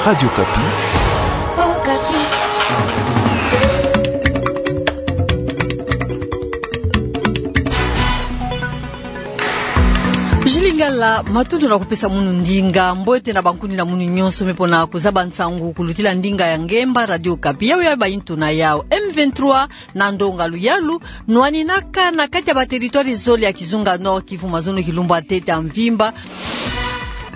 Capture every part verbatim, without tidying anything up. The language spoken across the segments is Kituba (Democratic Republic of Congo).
Radio Okapi. Jules Lingala, matondo na kupesa munu ndinga, mbote na bankuni na munu nyonso me pona kuzaba nsangu kulutila ndinga ya ngemba Radio Okapi. Yau ya baintu na yau, M vingt-trois na ndonga luyalu nwaninaka na kati ya bateritware zole ya kizunga Nord-Kivu mazono kilumbu ya ntete ya mvimba.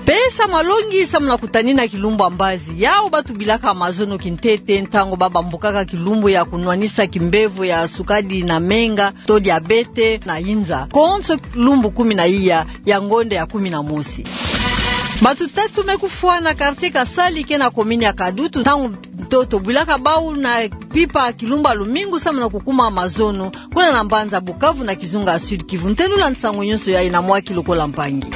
Pe samu na longi, samu na kutanina kilumbu ya mbazi, yau batubilaka mazono kintete ntangu babambukaka kilumbu ya kunwanisa kimbevo ya sukali na menga to diabète na inza, konso lumbu kumi na iya ya ngonde ya kumi na mosi. Bato tatu me kufwa na quartier Kasali ke na commune ya Kadutu, ntangu ntoto bwilaka bau na pipa kilumbu ya lumingu samu na kukuma mazono kuna na mbanza Bukavu na kizunga ya Sud-Kivu. Ntenula nsangu nyonso yayi na mwa ki lokola mpangi.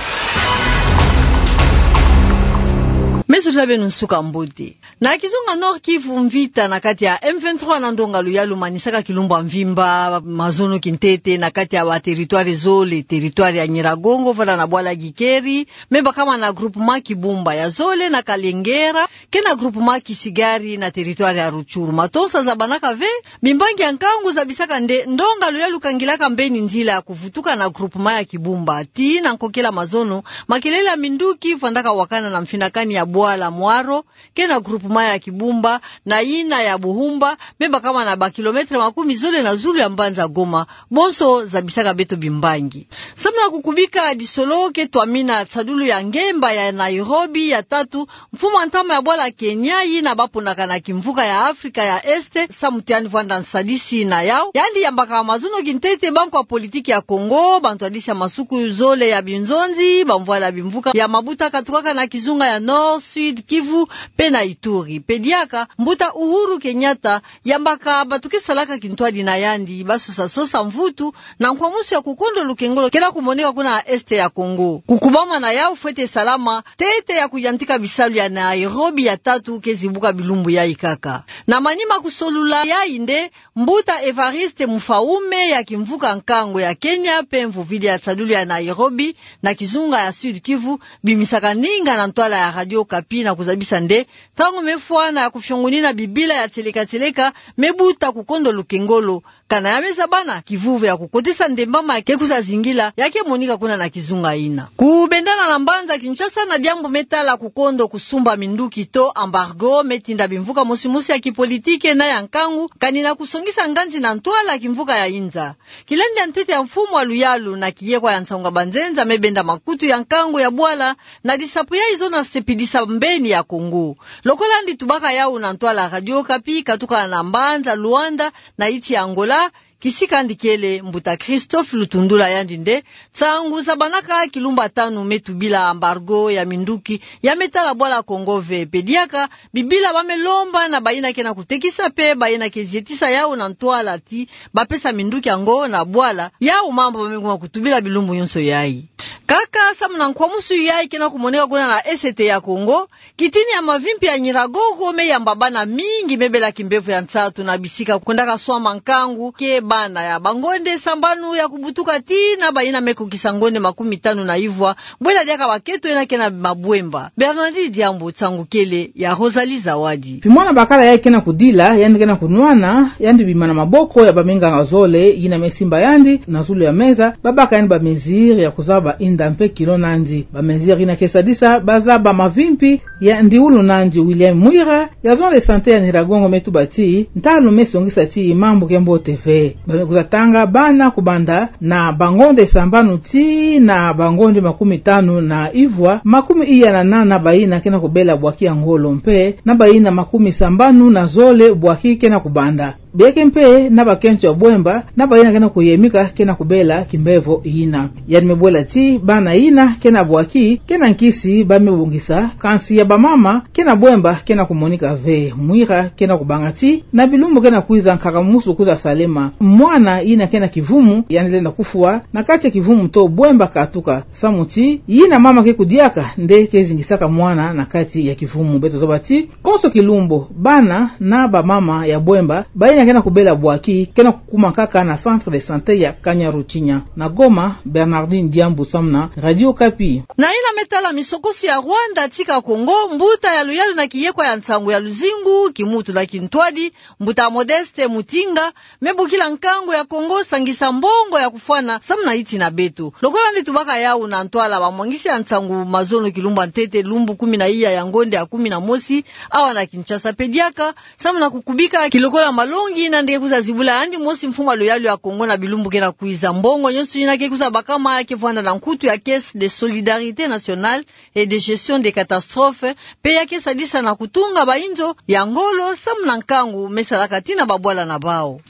Me zolila beno nsuka mbote. Na kizunga Nord-Kivu, mvita na kati ya M vingt-trois na ndonga luyalu manisaka kilumbu ya mvimba mazono kintete na kati ya bateritware zole, teritware ya Nyiragongo, vwala na bwala Gikeri, me bakama na groupement Kibumba, ya zole na Kalengera, ke na groupement Kisigari na teritware ya Rutshuru. Matonsa zabanaka ve, bimbangi ya nkangu zabisaka nde ndonga luyalu kangilaka mbeni nzila ya kuvutuka na groupement ya Kibumba. Tii na nkokila mazono, makelele ya minduki vwandaka wakana na mfinakani ya bwala Mwaro, ke na groupement ya Kibumba, na yina ya Buhumba, me bakama na ba kilomètre makumi zole na zulu ya mbanza Goma, bonso zabisaka beto bimbangi. Samu na kukubika disolo ke twamina nsadulu ya ngemba ya Nairobi ya tatu, mfumu ya ntama ya bwala Kenya, yina baponaka na kimvuka ya Afrika ya Est, samu ti yandi vwanda nsadisi na yau, yandi yambaka mazono kintete bankwa politiki ya Kongo, bantwadisi ya masuku zole ya binzonzi, bamvwala ya bimvuka ya mabuta katukaka na kizunga ya Nord, Sud-Kivu, pe na Ituri. Pe diaka, mbuta Uhuru Kenyatta yambaka bato ke salaka kintwadi na yandi basosa-sosa mvutu na nkwamusu ya kukondo lukengolo kena kumoneka kuna na Est ya Kongo. Kukubama na yau fwete salama ntete ya kuyantika bisalu ya Nairobi ya tatu ke zibuka bilumbu yayi kaka. Na manima kusolula yayi nde, mbuta Evariste Mufaume ya kimvuka nkangu ya Kenya pe mvovili ya nsadulu ya Nairobi na kizunga ya Sud-Kivu bimisaka ninga na ntwala ya Radio Okapi na kuzabisa nde, ntangu me fwana ya kufiongunina bibila ya tieleka-tieleka me buta kukondo lukengolo, kana ya me zabana, kivuvu ya kukotisa ndembama ke kwiza zingila, ya ke monika kuna na kizunga yina. Kubendana na mbanza Kinshasa, na diambu me tala kukondo kusumba minduki to embargo, me tinda bimvuka mosi-mosi ya kipolitike na ya nkangu kani na kusongisa nganzi na ntwala kimvuka ya inza. Kilandi ya ntete ya mfumu wa luyalu na kiyekwa ya nsangu ya banzenza me benda makutu ya nkangu ya bwala na disapu yayi zona sepidisa mbeni ya Kongo. Lokola yandi tubaka yau na ntwala Radio Okapi, katuka na mbanza Luanda, na yinsi ya Angola, kisika yandi kele, mbuta Christophe Lutundula, yandi nde, nsangu zabanaka kilumbu ya tanu me tubila embargo ya minduki ya me tala bwala Kongo ve. Pe diaka, bibila ba me lomba na bayina ke na kutekisa pe bayina ke zietisa yau na ntwala ti bapesa minduki yango na bwala, yau mambu ba me kuma kutubila bilumbu nyonso yayi. Kaka samu na nkwamusu yayi ke na kumoneka kuna na Est ya Kongo, kitini ya mavimpi ya Nyiragongo me yamba bana mingi me bela kimbevo ya nsatu na bisika kwendaka swama nkangu ke bana ya bangonde sambanu ya kubutuka tii na bayina me kokisa ngonde makumi tanu na ivwa, bwela diaka bakento yina ke na mabwemba. Bernardine Diambu, nsangu kele ya Rosalie Zawadi. Bimwana bakala yayi ke na kudila, yandi ke na kunwana, yandi bima na maboko ya baminganga zole yina me simba yandi na zulu ya meza, babaka yandi ba mesure ya kuzaba inda mpe kilo nandi. Ba mesure yina ke sadisa bazaba mavimpi ya ndiulu nandi. William Mwira, ya zone de santé ya Nyiragongo, me tuba ti ntalu me songisa ti mambu ke mbote ve. Ba me kwiza tanga bana kubanda na bangonde sambanu tii na bangonde makumi tanu na ivwa, makumi iya na nana bayina ke na kubela bwaki ya ngolo mpe na bayina makumi sambanu na zole bwaki ke na kubanda. Bieke mpe na bakento ya bwemba na bayina ke na kuyemika ke na kubela kimbevo yina. Yandi me bwela ti bana yina ke na bwaki ke na nkisi ba me bongisa, kansi ya bamama ke na bwemba ke na kumonika ve. Mwira ke na kubanga ti na bilumbu ke na kwiza nkaka mosi kwiza salema. Mwana yina ke na kivumu yandi lenda kufwa na kati ya kivumu to bwemba katuka. Samu ti yina mama ke kudiaka nde ke zingisaka mwana na kati ya kivumu. Beto zaba ti konso kilumbu bana na bamama ya bwemba bayina Kena kubela bwaki, kena kukuma kaka na centre de santé ya Kanyaruchinya. Na Goma, Bernardine Diambu samu na Radio Okapi. Na yina me tala misokoso ya Rwanda tika Kongo, mbuta ya luyalu na kiyekwa ya nsangu ya luzingu, kimutu na kintwadi, mbuta Modeste Mutinga, me bokila nkangu ya Kongo sangisa mbongo ya kufwana samu na iti na beto. Lokola nde tubaka yawu na ntwala, bamwangisi ya nsangu mazono kilumbu ya ntete, lumbu kumi na iya ya ngonde ya kumi na mosi, awa na Kinshasa pe diaka, samu na kukubika kilokola malongi yina nde ke kwiza zibula yandi mosi mfumu ya luyalu ya Kongo na bilumbu kena kwiza. Mbongo nyonso yina ke kwiza bakama ke vwanda na nkutu ya Caisse de Solidarité Nationale et de Gestion des Catastrophes, pe ya ke sadisa na kutunga bainzo ya ngolo samu na nkangu me salaka tii na babwala na bawu.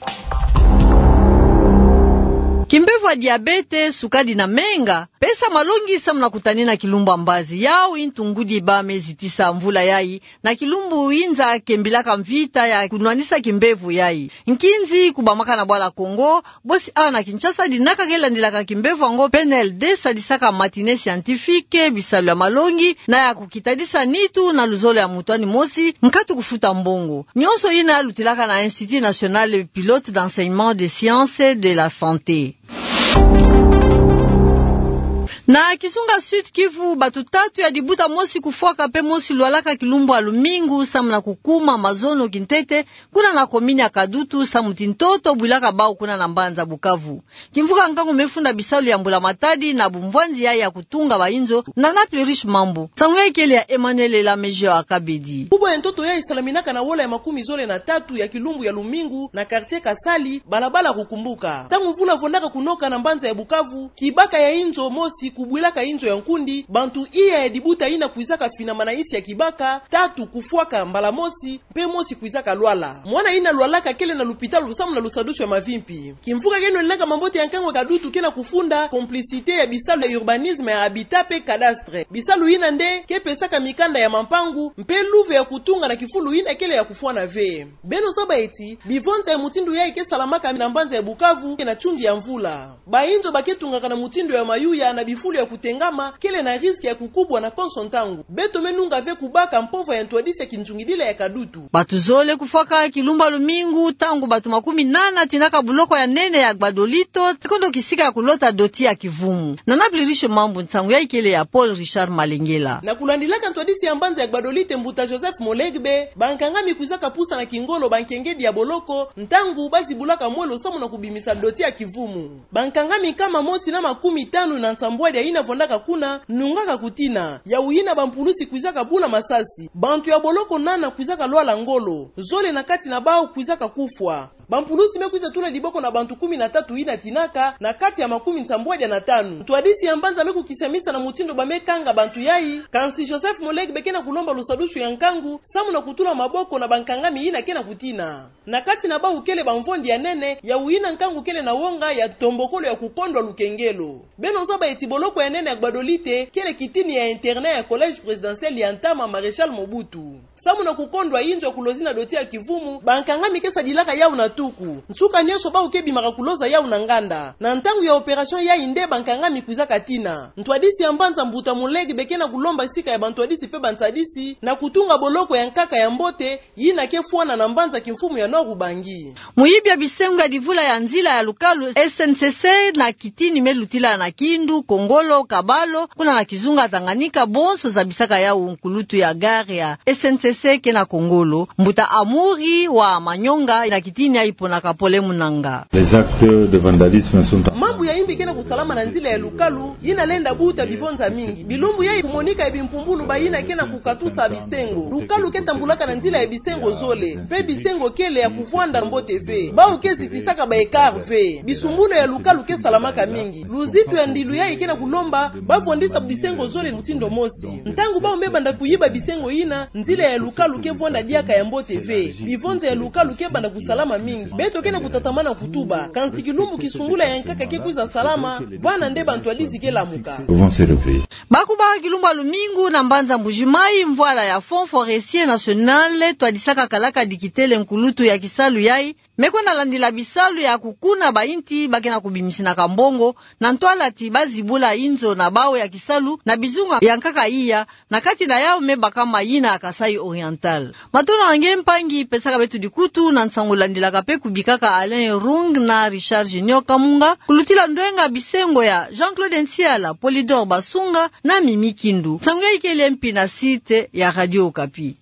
Kimbevo ya diabete, sukadi na menga, pesa malongi samu na kutanina kilumbu ya mbazi. Yawu i ntungudi ba me zitisa mvula yayi, na kilumbu inza kembilaka mvita ya kunwanisa kimbevo yayi. Nkinzi kubamaka na bwala Kongo, bosi awa na Kinshasa dinaka ke landilaka kimbevo yango, P N L D sadisaka matinée scientifique, bisalu ya malongi, na ya kukitadisa nitu na luzolo ya moto yandi mosi, nkatu kufuta mbongo. Nyonso yina lutilaka na Institut National Pilote d'Enseignement des Sciences de la Santé. Na kizunga Sud-Kivu, bato tatu ya dibuta, mosi kufwaka pe mosi lwalaka kilumbu ya lumingu, samu na kukuma mazono kintete, kuna na komini ya Kadutu, samu ti ntoto bwilaka bawu kuna na mbanza Bukavu. Kimvuka nkangu me funda bisalu ya mbula-matadi na bumvwanzi yayi ya kutunga bainzo, na Naples Riche Mambu. Nsangu yayi kele ya Emmanuel Elamejo Akabedi. Kubwa ya ntoto yayi salaminaka na wola ya makumi zole na tatu ya kilumbu ya lumingu na quartier Kasali, balabala Kukumbuka. Ntangu mvula vondaka kunoka na mbanza ya Bukavu, kibaka ya inzo mosi kubwilaka inzo ya nkundi, bantu iya ya dibuta yina kwizaka finama na nsi ya kibaka, tatu kufwaka mbala mosi, mpe mosi kwizaka lwala. Mwana yina lwalaka kele na lupitalu samu na lusadusu ya mavimpi. Kimvuka keno linaka mambote ya nkangu ya Kadutu kena kufunda complicité ya bisalu ya urbanisme, ya habitat mpe cadastre. Bisalu yina nde ke pesaka mikanda ya mampangu, mpe luve ya kutunga na kifulu yina kele ya kufwana ve. Beno zaba ti, bivonza ya mutindu yayi ke salamaka na mbanza ya Bukavu, ke na nsundi ya mvula. Bainzo ba ke tungaka na mutindu ya mayuya na bifulu ya kutengama, kele na risque ya kukubwa na konso ntangu. Beto me nunga ve kubaka mpova ya ntwadisi ya kinzungidila ya Kadutu. Bato zole kufwaka kilumbu ya lumingu, ntangu bato makumi nana tinaka boloko ya nene ya Gbadolite, kondo kisika ya kulota doti ya kivumu. Na Naples Riche Mambu, nsangu yayi kele ya Paul Richard Malengela. Na kulandilaka ntwadisi ya mbanza ya Gbadolite, mbuta Joseph Molegbe, bankangami kwizaka pusa na kingolo bankengedi ya boloko, ntangu ba zibulaka mwelo samu na kubimisa doti ya kivumu. Bankangami nkama mosi na makumi tanu na nsambwadi yina vondaka kuna, nungaka kutina, yawu yina bampulusi kwizaka bula masasi. Bantu ya boloko nana kwizaka lwala ngolo, zole na kati na bawu kwizaka kufwa. Bampulusi me kwiza tula diboko na bantu kumi na tatu yina tinaka, na kati ya makumi nsambwadi na tanu. Ntwadisi ya mbanza me kukisamisa na mutindu ba me kanga bantu yayi, kansi Joseph Molegbe kena kulomba lusadusu ya nkangu, samu na kutula maboko na bankangami yina kena kutina. Na kati na bawu kele bamvondi ya nene, yawu yina nkangu kele na wonga ya ntombokolo ya kukondwa lukengelo. Beno zaba ti boloko ya nene ya Gbadolite, kele kitini ya internat ya Collège Présidentiel ya ntama Maréchal Mobutu. Samu na kukondwa inzo ya kulozina doti ya kivumu, bankangami ke sadilaka yawu na tuku. Nsuka nyonso bawu ke bimaka kuloza yawu na nganda. Na ntangu ya opération yayi nde bankangami kwizaka tina. Ntwadisi ya mbanza mbuta Molegbe kena kulomba sika ya bantwadisi mpe bansadisi, na kutunga boloko ya nkaka ya mbote, yina ke fwana na mbanza kimfumu ya Nord-Ubangi. Muyibi ya bisengo ya divula ya nzila ya lukalu, S N C C, na kitini me lutila na Kindu, Kongolo, Kabalo, kuna na kizunga Tanganyika, bonso zabisaka yawu nkulutu ya gare ya S N C C kena Kongolo, mbuta Amuri wa Manyonga, na kitini yayi ponaka Pole Munanga. Les actes de vandalisme sont en... Mambu ya imbi kena kusalama na nzila ya lukalu, yina lenda buta bivonza mingi. Bilumbu yayi kumonika ya bimpumbulu bayina kena kukatusa bisengo. Lukalu ke tambulaka na nzila ya bisengo zole, mpe bisengo kele ya kuvwanda mbote ve. Bawu ke zitisaka ba écart ve. Bisumbulu ya lukalu ke salamaka mingi. Luzitu ya ndilu yayi kena kulomba ba vwandisa bisengo zole mutindu mosi. Ntangu bawu me banda kuyiba bisengo yina, nzila ya lukalu ke vwanda diaka ya mbote ve. Bivonza ya lukalu ke banda kusalama mingi. Beto kena kutatamana kutuba. Kansi kilumbu kisungula ya nkaka ke kwiza salama, bwana nde bantwadisi ke lamuka. Vont se réveiller. Bakuba kilumbu ya lumingu na mbanza Mbujimayi, mvwala ya Fonds Forestier National twadisaka kalaka dikitele nkulutu ya kisalu yayi, me kwenda landila bisalu ya kukuna bainti ba ke na kubimisina ka mbongo, na ntwala ti ba zibula inzo na bawu ya kisalu na bizunga ya nkaka iya, na kati na yawu me baka mayina ya Kasaï Oriental. Matondo na nge mpangi pesaka beto dikutu na nsangu landilaka pe kubikaka Alain Rung na Richard Junior Kamunga, kulutila ndwenga bisengo ya Jean-Claude Ntiala, Polydor Basunga na Mimi Kindu. Nsangu ya ikele mpi na site ya Radio Okapi.